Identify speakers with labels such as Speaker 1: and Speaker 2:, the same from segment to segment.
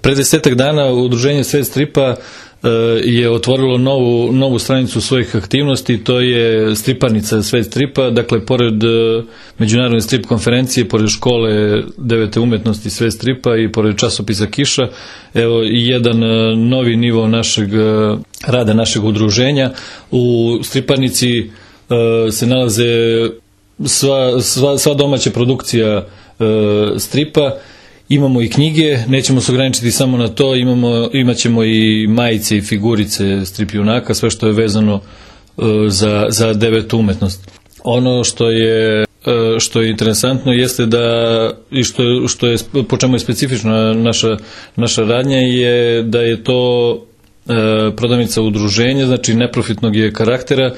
Speaker 1: Pre 10 dana udruženje Svet stripa je otvorilo novu stranicu svojih aktivnosti, to je striparnica Svet stripa, dakle pored međunarodne strip konferencije, pored škole 9. umetnosti Svet stripa i pored časopisa Kiša, evo i jedan novi nivo rada našeg udruženja. U striparnici se nalaze sva domaća produkcija stripa. Imamo i knjige, nećemo se ograničiti samo na to, imat ćemo i majice i figurice strip junaka, sve što je vezano za 9. umetnost. Ono što je interesantno jeste da, i po čemu je specifična naša radnja, je da je to prodavnica udruženja, znači neprofitnog je karaktera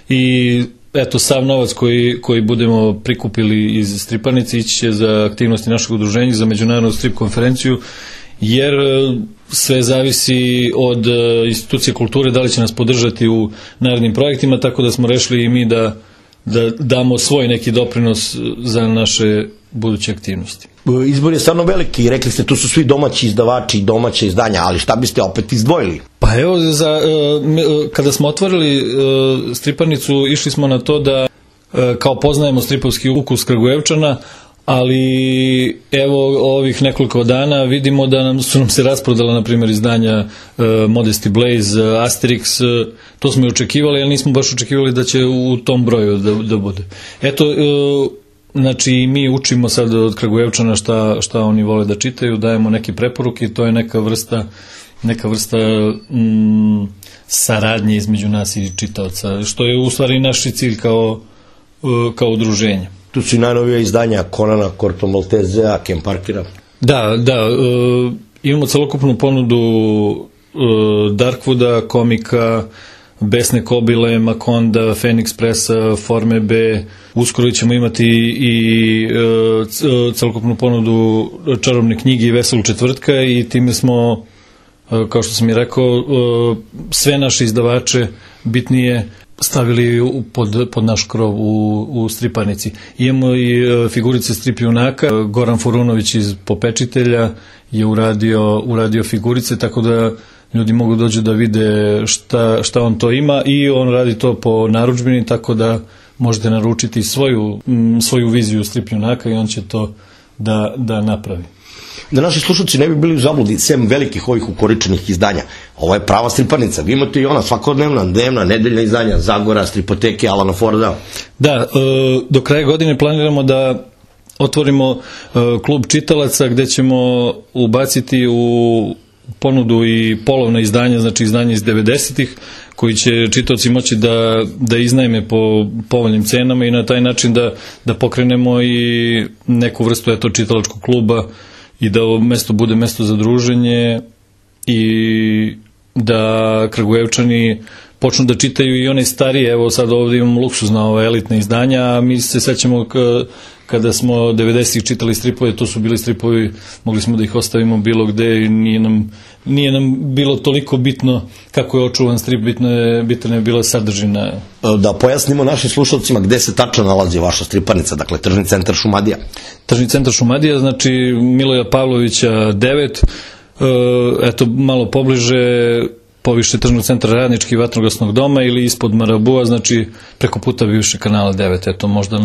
Speaker 1: i eto, sav novac koji budemo prikupili iz striparnice ići će za aktivnosti našeg udruženja, za međunarodnu strip konferenciju, jer sve zavisi od institucije kulture da li će nas podržati u narednim projektima, tako da smo rešili i mi da damo svoj neki doprinos za naše buduće aktivnosti.
Speaker 2: Izbor je stvarno veliki, rekli ste tu su svi domaći izdavači i domaće izdanja, ali šta biste opet izdvojili?
Speaker 1: Pa evo, kada smo otvorili striparnicu, išli smo na to da kao poznajemo stripovski ukus Kragujevčana, ali evo ovih nekoliko dana vidimo da su nam se rasprodala na primjer izdanja Modesty Blaze, Asterix, to smo i očekivali, ali nismo baš očekivali da će u tom broju da bude. Eto, znači mi učimo sad od Kragujevčana šta oni vole da čitaju, dajemo neke preporuke i to je neka vrsta saradnje između nas i čitaoca, što je u stvari naš cilj kao udruženje.
Speaker 2: Tu su i najnovija izdanja Conana, Corto Maltesea, Ken Parkera.
Speaker 1: Da, imamo celokupnu ponudu Darkwooda, komika, Besne Kobile, Makonda, Phoenix Pressa, Forme B. Uskoro ćemo imati i celokupnu ponudu Čarobne knjige i Veselog četvrtka i time smo, kao što sam i rekao, sve naše izdavače bitnije stavili pod naš krov u striparnici. Imamo i figurice strip junaka, Goran Furunović iz Popečitelja je uradio figurice, tako da ljudi mogu dođu da vide šta on to ima i on radi to po narudžbini, tako da možete naručiti svoju viziju strip junaka i on će to da napravi.
Speaker 2: Da naši slušalci ne bi bili u zabludi, sem velikih ovih ukoričenih izdanja, ovo je prava striparnica, vi imate i ona svakodnevna, dnevna, nedeljna izdanja, Zagora, Stripoteke, Alana Forda.
Speaker 1: Da, do kraja godine planiramo da otvorimo klub čitalaca gde ćemo ubaciti u ponudu i polovna izdanja, znači izdanja iz 90-ih, koji će čitaoci moći da iznajme po povoljnim cenama i na taj način da pokrenemo i neku vrstu čitalačkog kluba i da ovo mesto bude mesto za druženje i da Kragujevčani počnu da čitaju i one starije. Evo sad ovdje imamo luksuzna elitna izdanja, a mi se sećamo kada smo 90-ih čitali stripove, to su bili stripovi, mogli smo da ih ostavimo bilo gde i nije nam bilo toliko bitno kako je očuvan strip, bitna je bila sadržina.
Speaker 2: Da pojasnimo našim slušalcima gde se tačno nalazi vaša striparnica, dakle Tržni centar Šumadija.
Speaker 1: Tržni centar Šumadija, znači Miloja Pavlovića 9, eto malo pobliže, poviše Tržnog centra Radnički vatrogasnog doma ili ispod Marabua, znači preko puta bivše kanala 9, eto možda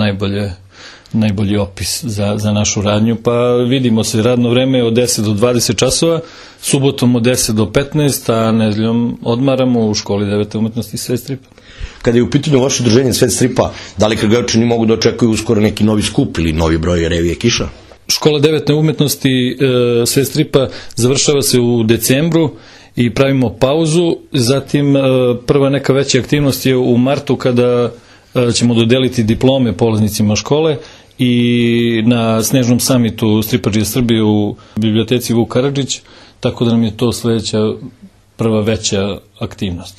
Speaker 1: najbolji opis za našu radnju, pa vidimo se radno vreme od 10 do 20 časova, subotom od 10 do 15, a nedeljom odmaramo u školi 9. umetnosti Svet stripa.
Speaker 2: Kada je u pitanju vaše udruženje Svet stripa, da li Kragujevčani mogu da očekuju uskoro neki novi skup ili novi broj revije Kiša?
Speaker 1: Škola 9. umetnosti Svet stripa završava se u decembru i pravimo pauzu, zatim prva neka veća aktivnost je u martu kada ćemo dodeliti diplome polaznicima škole i na Snežnom samitu Stripadžije Srbije u biblioteci Vuk Karadžić, tako da nam je to sledeća prva veća aktivnost.